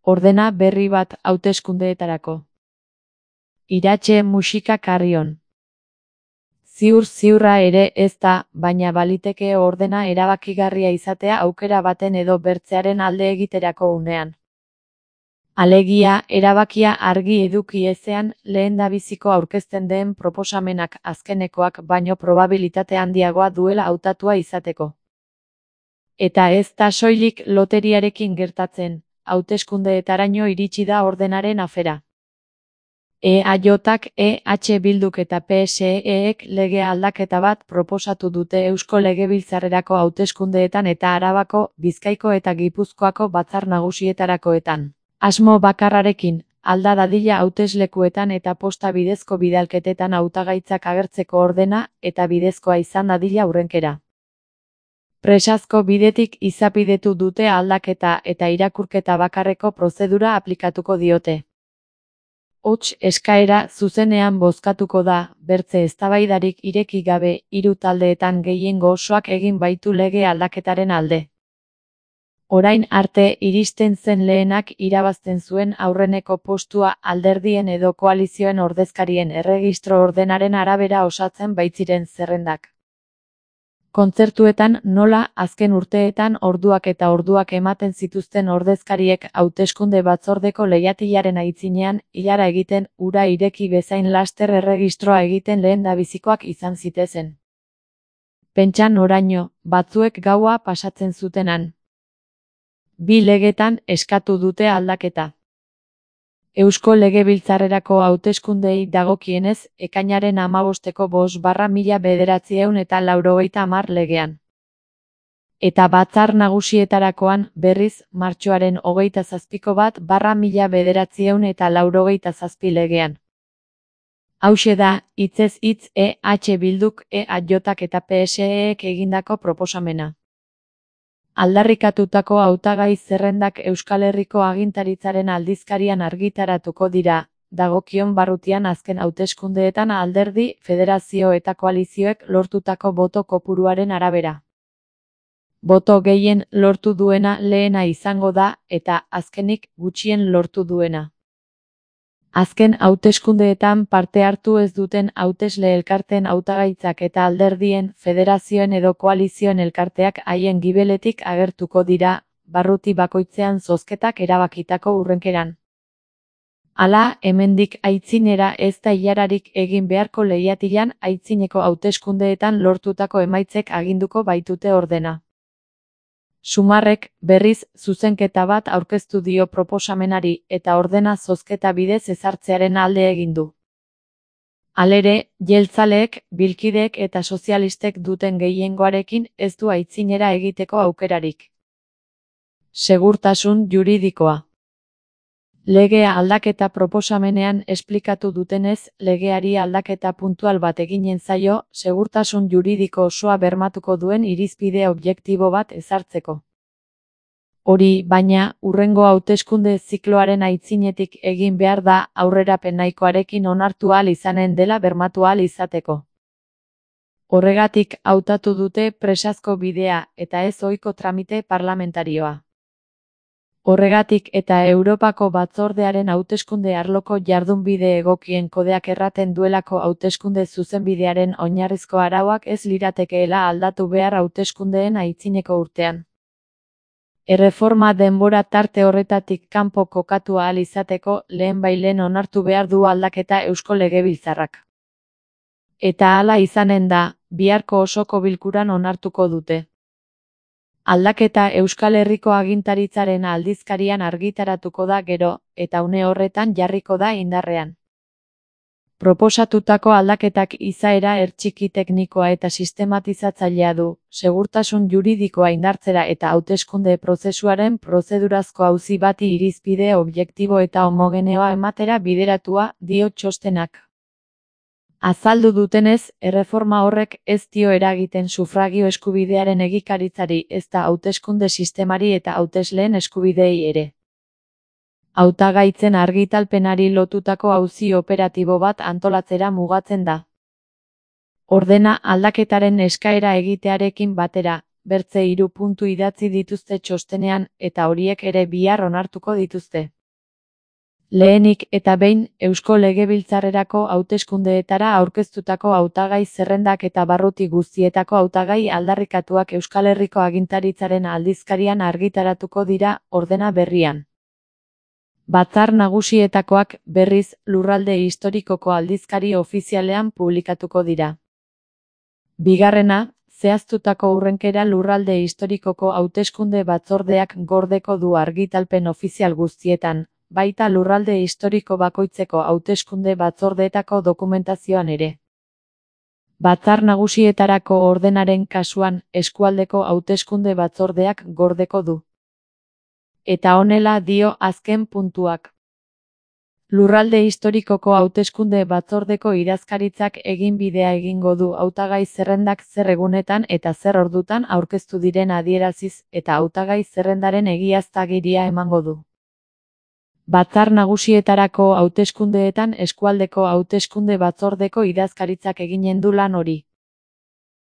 Ordena berri bat hauteskundeetarako. Iratxe musika Carrion. Ziur-ziurra ere ez da, baina baliteke ordena erabakigarria izatea aukera baten edo bertzearen alde egiterako unean. Alegia, erabakia argi eduki ezean, lehendabiziko aurkezten den proposamenak azkenekoak baino probabilitate handiagoa duela hautatua izateko. Eta ez da soilik loteriarekin gertatzen, hauteskundeetaraino iritsi da ordenaren afera. EAJak, EH Bilduk eta PSEek lege aldaketa bat proposatu dute Eusko Legebiltzarrerako hauteskundeetan eta Arabako, Bizkaiko eta Gipuzkoako batzar nagusietarakoetan. Asmo bakarrarekin, alda dadila hauteslekuetan eta posta bidezko bidalketetan hautagaitzak agertzeko ordena eta bidezkoa izan dadila hurrenkera. Presazko bidetik izapidetu dute aldaketa eta irakurketa bakarreko prozedura aplikatuko diote. Hots eskaera zuzenean bozkatuko da, bertze eztabaidarik ireki gabe, 3 taldeetan gehiengo osoak egin baitu lege aldaketaren alde. Orain arte iristen zen lehenak irabazten zuen aurreneko postua alderdien edo koalizioen ordezkarien erregistro ordenaren arabera osatzen baitziren zerrendak. Kontzertuetan nola azken urteetan orduak eta orduak ematen zituzten ordezkariek hauteskunde batzordeko lehiatilaren aitzinean ilara egiten ura ireki bezain laster erregistroa egiten lehendabizikoak izan zitezen. Pentsan oraino, batzuek gaua pasatzen zutenan. 2 legetan eskatu dute aldaketa. Eusko Legebiltzarrerako hauteskundei dagokienez, ekainaren 15-eko 5/1990 legean. Eta batzar nagusietarakoan, berriz, martxoaren 27-ko 1/1997 legean. Hauxe da, hitzez hitz EH Bilduk, EAJak eta PSEek egindako proposamena. Aldarrikatutako hautagai zerrendak Euskal Herriko agintaritzaren aldizkarian argitaratuko dira, dagokion barrutian azken hauteskundeetan alderdi, federazio eta koalizioek lortutako boto kopuruaren arabera. Boto gehien lortu duena lehena izango da, eta azkenik gutxien lortu duena. Azken hauteskundeetan parte hartu ez duten hautesle elkarteen hautagaitzak eta alderdien, federazioen edo koalizioen elkarteak haien gibeletik agertuko dira, barruti bakoitzean zozketak erabakitako hurrenkeran. Hala, hemendik aitzinera ez da ilararik egin beharko lehiatilan aitzineko hauteskundeetan lortutako emaitzek aginduko baitute ordena. Sumarrek, berriz, zuzenketa bat aurkeztu dio proposamenari eta ordena zozketa bidez ezartzearen alde egin du. Halere, jeltzaleek, bilkideek eta sozialistek duten gehiengoarekin ez du aitzinera egiteko aukerarik. Segurtasun juridikoa. Legea aldaketa proposamenean esplikatu dutenez, legeari aldaketa puntual bat eginen zaio, segurtasun juridiko osoa bermatuko duen irizpide objektibo bat ezartzeko. Hori, baina, hurrengo hauteskunde zikloaren aitzinetik egin behar da aurrerapen nahikoarekin onartu ahal izanen dela bermatu ahal izateko. Horregatik hautatu dute presazko bidea eta ez ohiko tramite parlamentarioa. Horregatik eta Europako batzordearen hauteskunde arloko jardunbide egokien kodeak erraten duelako hauteskunde zuzenbidearen oinarrizko arauak ez liratekeela aldatu behar hauteskundeen aitzineko urtean. Erreforma denbora tarte horretatik kanpo kokatu ahal izateko lehenbailehen onartu behar du aldaketa Eusko Legebiltzarrak. Eta hala izanen da, biharko osoko bilkuran onartuko dute. Aldaketa Euskal Herriko agintaritzaren aldizkarian argitaratuko da gero, eta une horretan jarriko da indarrean. Proposatutako aldaketak izaera hertsiki teknikoa eta sistematizatzailea du, segurtasun juridikoa indartzera eta hauteskunde prozesuaren prozedurazko auzi bati irizpide objektibo eta homogeneoa ematera bideratua, dio txostenak. Azaldu dutenez, erreforma horrek ez dio eragiten sufragio eskubidearen egikaritzari ezta hauteskunde sistemari eta hautesleen eskubideei ere. Hautagaitzen argitalpenari lotutako auzi operatibo bat antolatzera mugatzen da. Ordena aldaketaren eskaera egitearekin batera, bertze 3 puntu idatzi dituzte txostenean eta horiek ere bihar onartuko dituzte. Lehenik eta behin, Eusko Legebiltzarrerako hauteskundeetara aurkeztutako hautagai zerrendak eta barruti guztietako hautagai aldarrikatuak Euskal Herriko Agintaritzaren aldizkarian argitaratuko dira, ordena berrian. Batzar Nagusietakoak, berriz, Lurralde Historikoko aldizkari ofizialean publikatuko dira. Bigarrena, zehaztutako hurrenkera Lurralde Historikoko hauteskunde batzordeak gordeko du argitalpen ofizial guztietan, baita lurralde historiko bakoitzeko hauteskunde batzordeetako dokumentazioan ere. Batzar Nagusietarako ordenaren kasuan, eskualdeko hauteskunde batzordeak gordeko du. Eta honela dio azken puntuak. Lurralde historikoko hauteskunde batzordeko idazkaritzak eginbidea egingo du hautagai zerrendak zer egunetan eta zer ordutan aurkeztu diren adieraziz eta hautagai zerrendaren egiaztagiria emango du. Batzar Nagusietarako hauteskundeetan eskualdeko hauteskunde batzordeko idazkaritzak eginen du lan hori.